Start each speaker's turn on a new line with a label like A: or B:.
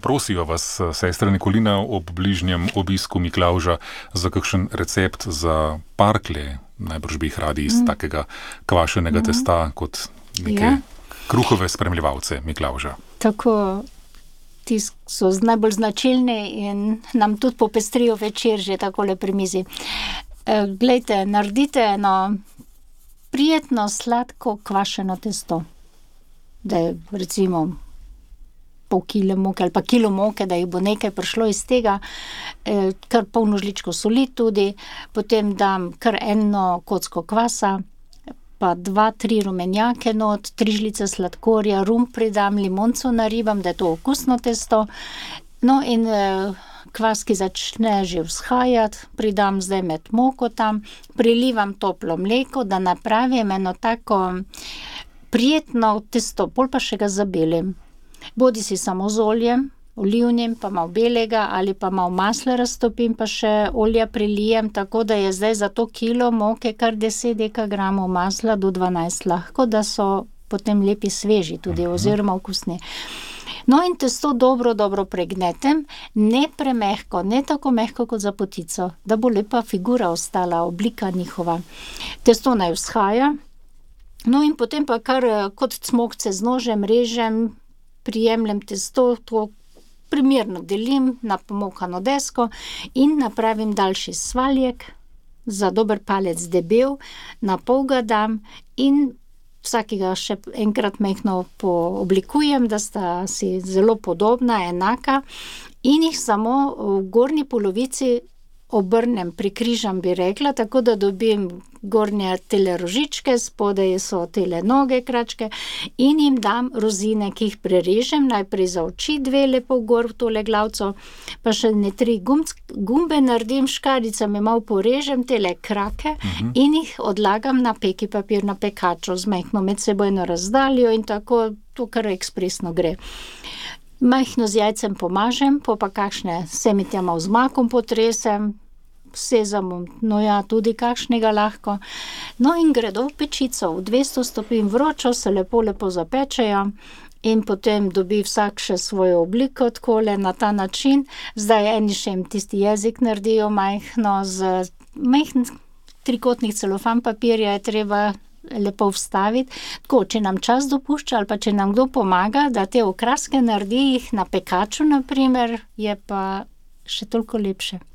A: Prosijo vas, sestra Nikolina, ob bližnjem obisku Miklavža za kakšen recept za parklje. Najbrž bi jih radi iz takega kvašenega testa kot neke kruhove spremljevalce Miklavža.
B: Tako, ti so najbolj značilni in nam tudi popestrijo večer že takole pri mizi. Glejte, naredite eno prijetno, sladko kvašeno testo. Da je recimo pol kile moke ali pa kilo moke, da jih bo nekaj prišlo iz tega, kar polno žličko soli tudi, potem dam kar eno kocko kvasa, pa 2-3 rumenjake not, 3 žlice sladkorja, rum pridam, limonco naribam, da je to okusno testo. No in kvas, ki začne že vzhajati, pridam zdaj med moko tam, prilivam toplo mleko, da napravim eno tako prijetno testo, pol pa še ga zabelim. Bodisi samo z oljem, olivnim, pa malo belega, ali pa malo masla raztopim, pa še olja prilijem, tako da je zdaj za to kilo moke kar 10 dekagramov masla do 12 lahko, da so potem lepi sveži tudi, oziroma okusni. No in testo dobro pregnetem, ne premehko, ne tako mehko kot za potico, da bo lepa figura ostala, oblika njihova. Testo naj vzhaja, no in potem pa kar kot cmokce z nožem režem, prijemljem testo, to primerno delim na pomokano desko in napravim daljši svaljek, za dober palec debel, na pol ga dam in vsakega še enkrat majhno pooblikujem, da sta si zelo podobna, enaka, in jih samo v gornji polovici obrnem, prikrižam, bi rekla, tako da dobim gornje tele rožičke, spodaj so tele noge kračke in jim dam rozine, ki jih prerežem, najprej za oči 2 lepo gor v tole glavco, pa še 3 gumbe naredim, škarjicami malo porežem tele krake in jih odlagam na peki papir, na pekaču z majhno medsebojno razdaljo in tako to kar ekspresno gre. Majhno z jajcem pomažem, pa kakšne semitja malo z makom potresem, sezamom, no ja, tudi kakšnega lahko. No in gredo v pečico, v 200 stopinj vročo, se lepo zapečejo in potem dobi vsak še svojo obliko, takole na ta način. Zdaj eni še jim tisti jezik naredijo majhno, z majhn trikotnih celofan papirja je treba lepo vstaviti. Tako, če nam čas dopušča ali pa če nam kdo pomaga, da te okraske naredi jih na pekaču, na primer, je pa še toliko lepše.